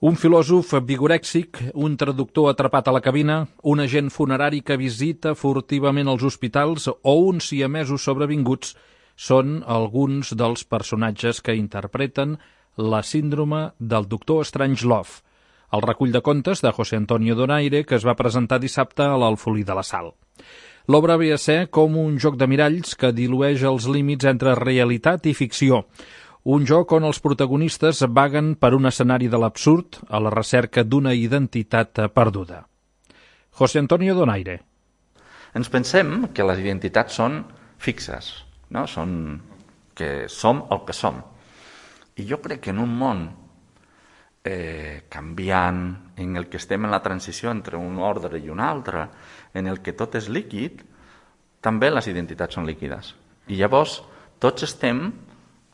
Un filòsof vigorèxic, un traductor atrapat a la cabina, un agent funerari que visita furtivament els hospitals o uns siamesos sobrevinguts són alguns dels personatges que interpreten la síndrome del doctor Strangelove, el recull de contes de José Antonio Donaire que es va presentar dissabte a l'Alfolí de la Sal. L'obra ve a ser com un joc de miralls que dilueix els límits entre realitat i ficció, un joc on els protagonistes vaguen per un escenari de l'absurd a la recerca d'una identitat perduda. José Antonio Donaire. Ens pensem que les identitats són fixes, no? Que som el que som. I jo crec que en un món canviant, en el que estem en la transició entre un ordre i un altre, en el que tot és líquid, també les identitats són líquides. I llavors tots estem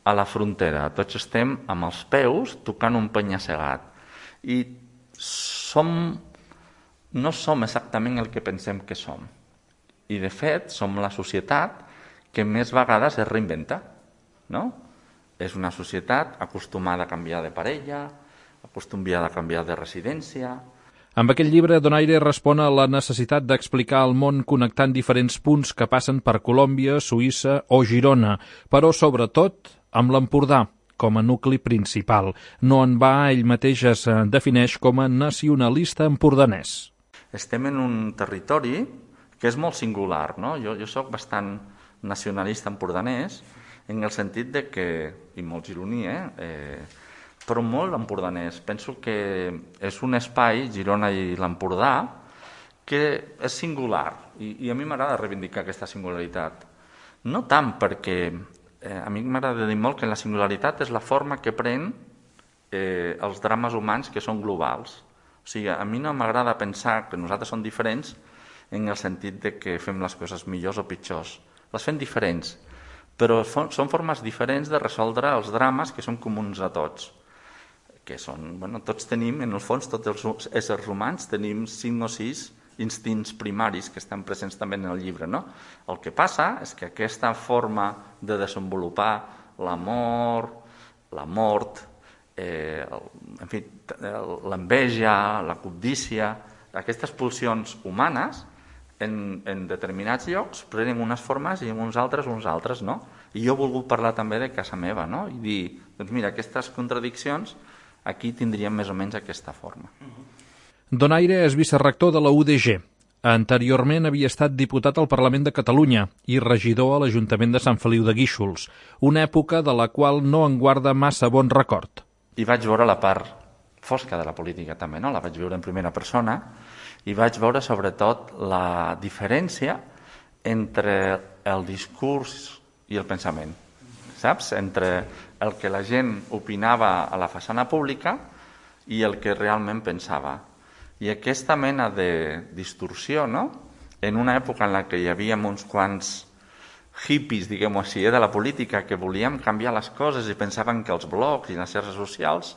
a la frontera, tots estem amb els peus tocant un penya-segat. I no som exactament el que pensem que som. I de fet som la societat que més vegades es reinventa, no? És una societat acostumada a canviar de parella, acostumada a canviar de residència. Amb aquest llibre, Donaire respon a la necessitat d'explicar el món connectant diferents punts que passen per Colòmbia, Suïssa o Girona, però sobretot amb l'Empordà com a nucli principal. No en va, ell mateix es defineix com a nacionalista empordanès. Estem en un territori que és molt singular, no? Jo soc bastant nacionalista empordanès en el sentit de que, i molt gironí, però molt empordanès. Penso que és un espai, Girona i l'Empordà, que és singular i a mi m'agrada reivindicar aquesta singularitat. No tant perquè a mi m'agrada dir molt que la singularitat és la forma que pren els drames humans que són globals. O sigui, a mi no m'agrada pensar que nosaltres som diferents en el sentit de que fem les coses millors o pitjors. Les fem diferents, però són formes diferents de resoldre els drames que són comuns a tots. Que són, tots tenim, en el fons, tots els éssers humans tenim 5 o 6 instints primaris que estan presents també en el llibre, no? El que passa és que aquesta forma de desenvolupar l'amor, la mort, en fi, l'enveja, la cobdícia, aquestes pulsions humanes en determinats llocs prenen unes formes i en uns altres, no? I jo he volgut parlar també de casa meva, no? I dir, doncs mira, aquestes contradiccions aquí tindrien més o menys aquesta forma. Donaire és vicerrector de la UDG. Anteriorment havia estat diputat al Parlament de Catalunya i regidor a l'Ajuntament de Sant Feliu de Guíxols, una època de la qual no en guarda massa bon record. I vaig veure la part fosca de la política també, no? La vaig veure en primera persona i vaig veure sobretot la diferència entre el discurs i el pensament, saps? Entre el que la gent opinava a la façana pública i el que realment pensava. I aquesta mena de distorsió, no? En una època en la que hi havia uns quants hippies, diguem-ho així, de la política, que volíem canviar les coses i pensaven que els blogs i les xarxes socials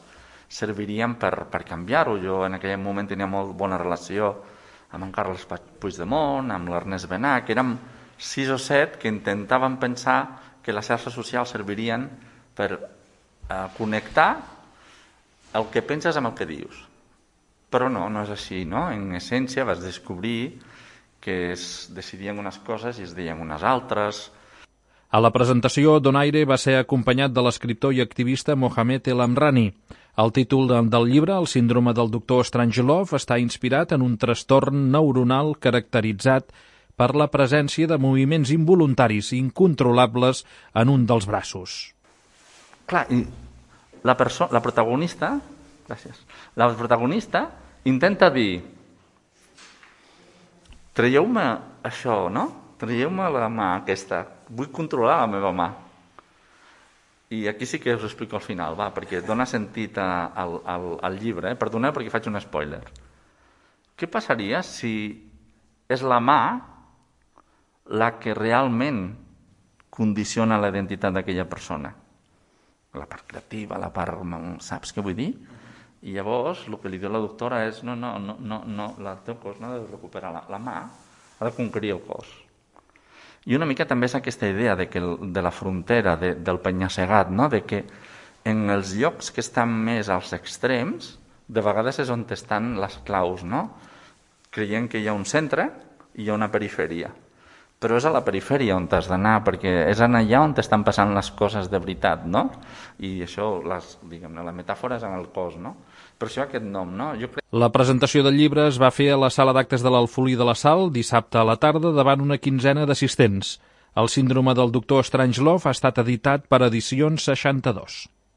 servirien per canviar-ho. Jo en aquell moment tenia molt bona relació amb en Carles Puigdemont, amb l'Ernest Benach, que érem 6 o 7 que intentaven pensar que les xarxes socials servirien per connectar el que penses amb el que dius. Però no és així, no? En essència vas descobrir que es decidien unes coses i es deien unes altres. A la presentació, Donaire va ser acompanyat de l'escriptor i activista Mohamed El Amrani. El títol del llibre, El síndrome del doctor Strangelove, està inspirat en un trastorn neuronal caracteritzat per la presència de moviments involuntaris incontrolables en un dels braços. Clar, i la protagonista intenta dir: traieu-me això, no? Traieu-me la mà aquesta, vull controlar la meva mà. I aquí sí que us explico al final, perquè dona sentit al llibre. Perdoneu perquè faig un spoiler. Què passaria si és la mà la que realment condiciona la identitat d'aquella persona? La part creativa, la part... Saps què vull dir? I llavors el que li diu la doctora és no, el teu cos no ha de recuperar la mà, ha de conquerir el cos. I una mica també és aquesta idea de la frontera, del penya-segat, no? De que en els llocs que estan més als extrems de vegades és on estan les claus, no? Creient que hi ha un centre i hi ha una perifèria. Però és a la perifèria on has d'anar, perquè és allà on estan passant les coses de veritat, no? I això, diguem-ne, la metàfora és en el cos, no? Per això aquest nom, no? La presentació del llibre es va fer a la sala d'actes de l'Alfolí de la Sal dissabte a la tarda davant una quinzena d'assistents. El síndrome del doctor Strangelove ha estat editat per Edicions 62.